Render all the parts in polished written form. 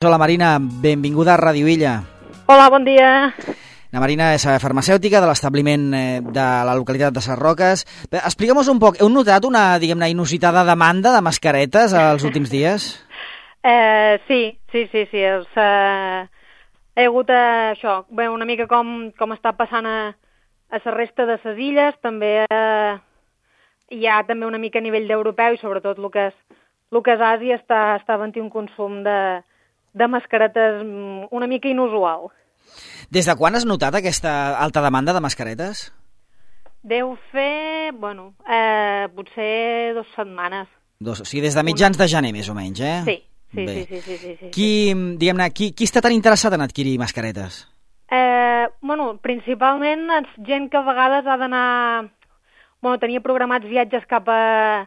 Hola Marina, benvinguda a Ràdio Illa. Hola, bon dia. La Marina és farmacèutica de l'establiment de la localitat de Sarroques. Explica'm un poc, heu notat una, diguem-ne, inusitada demanda de mascaretes els últims dies? Sí. He hagut això, bé, una mica com està passant a la resta de les illes, també hi ha també una mica a nivell d'europeu i sobretot el que és Àsia està havent un consum de mascaretes una mica inusual. Des de quan has notat aquesta alta demanda de mascaretes? Deu fer, potser 2 setmanes. O sigui, des de mitjans de gener, més o menys, eh? Sí. Diguem-ne, qui està tan interessat en adquirir mascaretes? Principalment gent que a vegades ha d'anar... tenia programats viatges cap a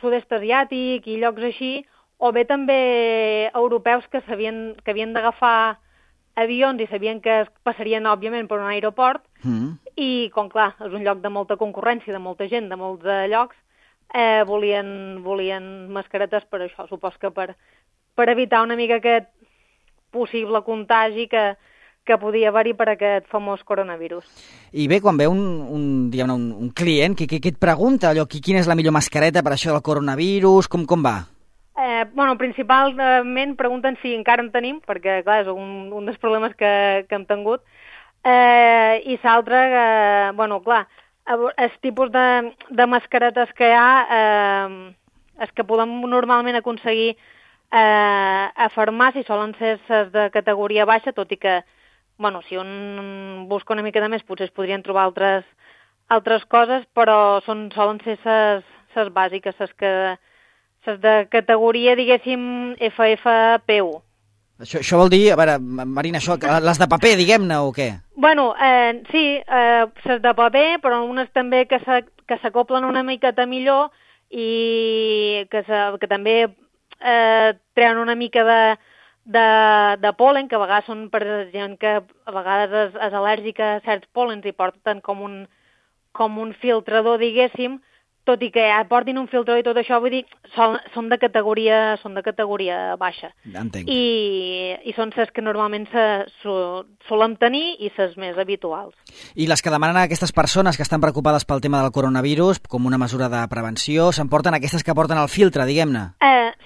sud-est asiàtic i llocs així, o bé també europeus que havien d'agafar avions i sabien que es passarien, òbviament, per un aeroport, i, com clar, és un lloc de molta concurrència, de molta gent, de molts llocs, volien mascaretes per això. Supos que per evitar una mica aquest possible contagi que podia haver-hi per aquest famós coronavirus. I bé, quan ve un client, què et pregunta? Quina és la millor mascareta per això del coronavirus? Com va? Principalment pregunten si encara en tenim, perquè, clar, és un dels problemes que hem tingut. I l'altre, clar, els tipus de mascaretes que hi ha, els que podem normalment aconseguir a farmàcia solen ser les de categoria baixa, tot i que, si un busca una mica de més, potser es podrien trobar altres coses, però solen ser les bàsiques, les de categoria, diguéssim, FFP1. Això vol dir, a veure, Marina, les de paper, diguem-ne, o què? Sí, les de paper, però unes també que s'acoplen una miqueta millor i que també treuen una mica de pol·len, que a vegades són per gent que a vegades és al·lèrgica a certs pol·lens i porten com un filtrador, diguéssim, tot i que portin un filtrador i tot això, vull dir, són de categoria baixa. Entenc. I són les que normalment solem tenir i les més habituals. I les que demanen a aquestes persones que estan preocupades pel tema del coronavirus, com una mesura de prevenció, s'emporten aquestes que porten el filtre, diguem-ne?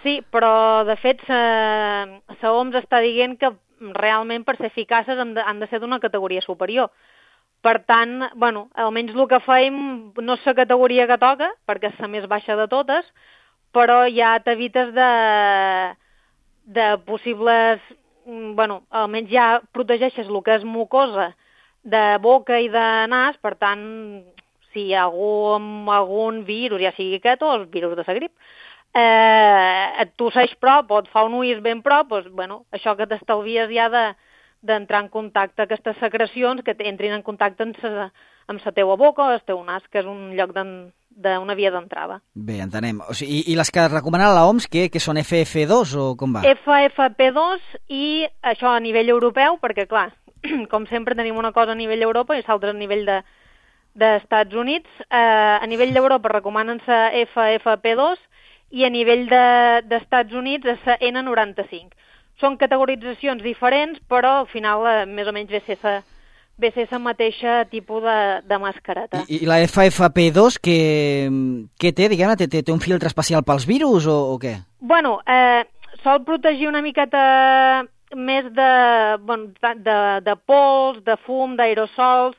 Sí, però de fet la OMS està dient que realment per ser eficaces han de ser d'una categoria superior. Per tant, almenys el que fem no és la categoria que toca, perquè és la més baixa de totes, però ja t'evites de possibles... almenys ja protegeixes el que és mucosa de boca i de nas, per tant, si hi ha algun virus, ja sigui aquest o el virus de la grip, et tosseix prop o et fa un ulls ben prop, això que t'estalvies ja d'entrar en contacte amb aquestes secrecions que entrin en contacte amb la teua boca o el teu nas, que és un lloc d'una via d'entrada. Bé, entenem. O sigui, i les que recomana la OMS, que són FF2 o com va? FFP2 i això a nivell europeu, perquè clar, com sempre tenim una cosa a nivell d'Europa i l'altra a nivell d'Estats Units. A nivell d'Europa recomanen la FFP2 i a nivell d'Estats Units la N95. Són categoritzacions diferents, però al final més o menys ve ser la mateixa tipus de mascareta. I la FFP2 què té, diguem-ne? Té un filtre especial pels virus o què? Sol protegir una miqueta més de pols, de fum, d'aerosols,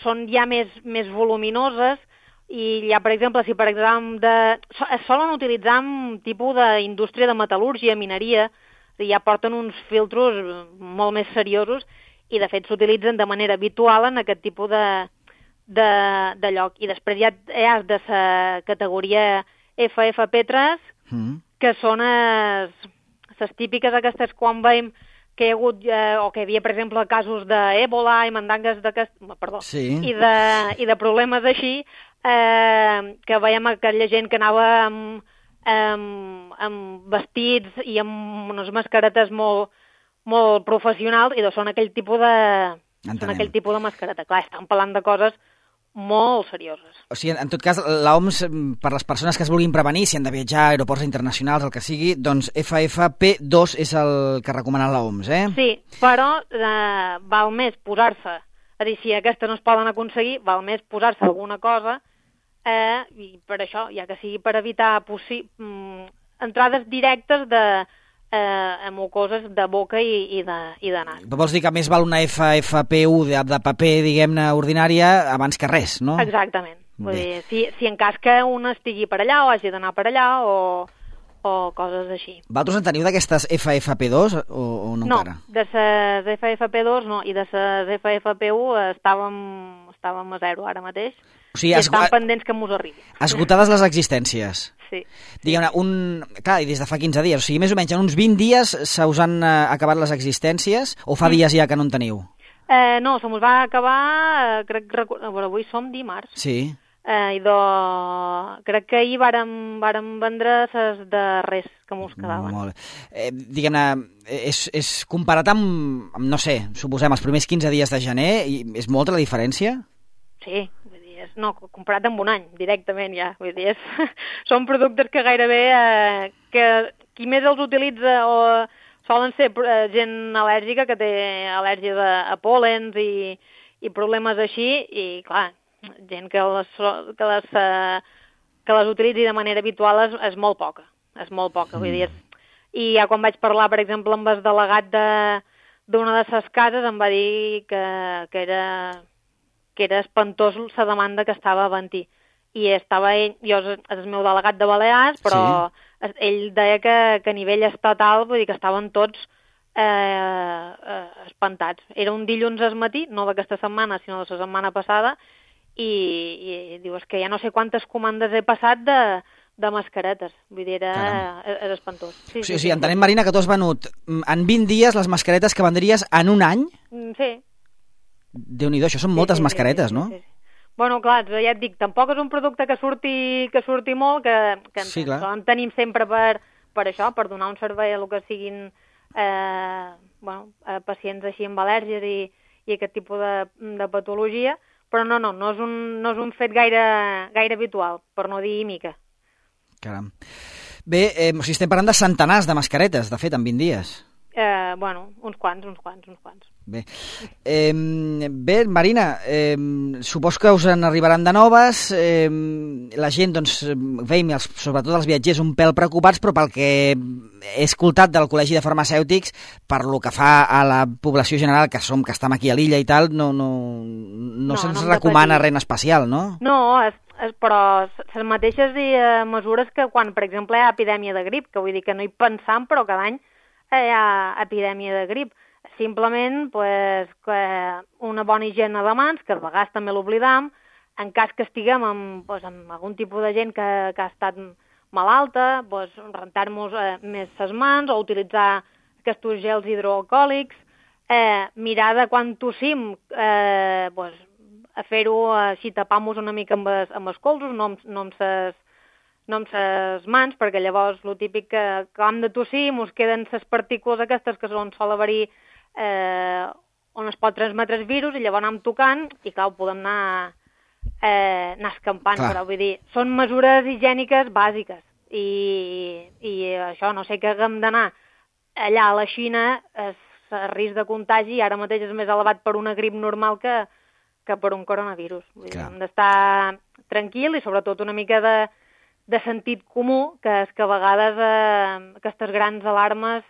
són ja més voluminoses i ja, per exemple, si es solen utilitzar en tipus d'indústria de metal·lúrgia, mineria, ja porten uns filtros molt més seriosos i, de fet, s'utilitzen de manera habitual en aquest tipus de lloc. I després ja has de la categoria FFP3, que són les típiques aquestes quan veiem que hi ha hagut, o que hi havia, per exemple, casos d'Ebola i mandangues i de problemes així, que veiem aquella gent que anava amb vestits i amb unes mascaretes molt professionals, i són aquell tipus de mascareta. Clar, estan parlant de coses molt serioses. O sigui, en tot cas, l'OMS, per les persones que es vulguin prevenir, si han de viatjar a aeroports internacionals, el que sigui, doncs FFP2 és el que recomana l'OMS, eh? Sí, però val més posar-se, és a dir, si aquestes no es poden aconseguir, val més posar-se alguna cosa, i per això, ja que sigui per evitar entrades directes a mucoses de boca i de nas. Vols dir que més val una FFP1 de paper, diguem-ne, ordinària, abans que res, no? Exactament. Vull dir, si en cas que un estigui per allà o hagi d'anar per allà o coses així. Vosaltres en teniu d'aquestes FFP2 o no encara? No, de les FFP2 no, i de les FFP1 estàvem a zero ara mateix. O sigui, estan pendents que mos arribi. Esgotades les existències. Sí. Diguem-ne, clar, i des de fa 15 dies, o sigui, més o menys en uns 20 dies se us han acabat les existències, o fa dies ja que no en teniu? No, se mos va acabar, avui som dimarts. Sí. Crec que ahir vàrem vendre les de res que mos quedaven. Molt bé. Diguem-ne, és comparat amb, no sé, suposem, els primers 15 dies de gener, és molta la diferència? Sí, vull dir, no, comparat amb un any, directament ja, vull dir, són productes que gairebé, que qui més els utilitza o solen ser gent al·lèrgica, que té al·lèrgia a pòlens i problemes així, i clar, gent que les utilitzi de manera habitual és molt poca, vull dir, i ja quan vaig parlar, per exemple, amb el delegat d'una de les cases, em va dir que era espantós la demanda que estava havent-hi. I estava ell, jo és el meu delegat de Balears, però ell deia que a nivell estatal, vull dir que estaven tots espantats. Era un dilluns al matí, no d'aquesta setmana, sinó de la setmana passada, i diu, és que ja no sé quantes comandes he passat de mascaretes. Vull dir, és espantós. Sí, sí, entenem, Marina, que tu has venut en 20 dies les mascaretes que vendries en un any? Sí. Déu-n'hi-do, això són moltes mascaretes, no? Sí. Bueno, clar, ja et dic, tampoc és un producte que surti molt, que en tenim sempre per això, per donar un servei a el que siguin pacients així amb al·lèrgies i aquest tipus de patologia, però no és un fet gaire habitual, per no dir mica. Caram. Bé, estem parlant de centenars de mascaretes, de fet, en 20 dies. Uns quants. Bé, Marina, supos que us en arribaran de noves, la gent, doncs, veiem, sobretot els viatgers, un pèl preocupats, però pel que he escoltat del Col·legi de Farmacèutics, per lo que fa a la població general, que estem aquí a l'illa i tal, no se'ns recomana res en especial, no? No, però les mateixes mesures que quan, per exemple, hi ha epidèmia de grip, que vull dir que no hi pensam, però cada any hi ha epidèmia de grip. Simplement una bona higiene de mans, que a vegades també l'oblidam, en cas que estiguem amb algun tipus de gent que ha estat malalta, rentar-nos més les mans o utilitzar aquests gels hidroalcohòlics, mirar de quan tossim, a fer-ho així, tapar-nos una mica amb els colzos, no amb les mans, perquè llavors el típic que acabem de tossir mos queden les partícules aquestes que sol haver-hi on es pot transmetre el virus i llavors anem tocant i clar, ho podem anar escampant, però vull dir, són mesures higièniques bàsiques i això, no sé que haguem d'anar allà a la Xina, el risc de contagi ara mateix és més elevat per una grip normal que per un coronavirus. Vull dir, hem d'estar tranquil i sobretot una mica de sentit comú, que és que a vegades aquestes grans alarmes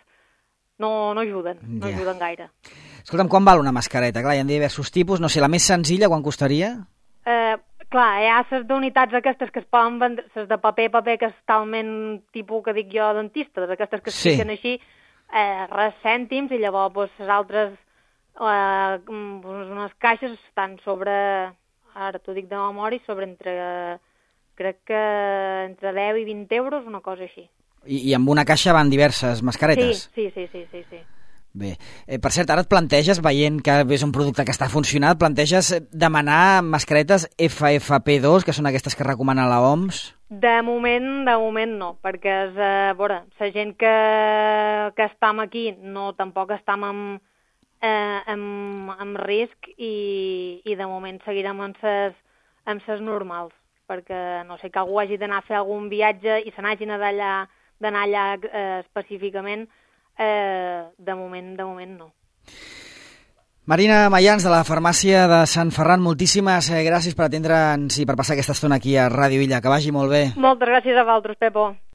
no ajuden gaire. Escolta'm, quan val una mascareta? Clar, hi ha diversos tipus, no sé, la més senzilla, quan costaria? Clar, hi ha les d'unitats aquestes que es poden vendre, les de paper, que és talment tipus que dic jo dentista, aquestes que es fiquen així, res cèntims, i llavors les altres, unes caixes estan sobre, ara t'ho dic de memòria, sobre crec que entre 10 i 20 euros, una cosa així. I amb una caixa van diverses mascaretes? Sí. Bé, per cert, ara et planteges, veient que és un producte que està funcionant, planteges demanar mascaretes FFP2, que són aquestes que recomana l'OMS? De moment no, perquè la gent que estem aquí tampoc estem amb risc i de moment seguirem amb amb ses normals, perquè no sé, que algú hagi d'anar a fer algun viatge i se n'hagin d'anar allà específicament, de moment no. Marina Mayans, de la farmàcia de Sant Ferran, moltíssimes gràcies per atendre'ns i per passar aquesta estona aquí a Ràdio Illa. Que vagi molt bé. Moltes gràcies a vosaltres, Pepo.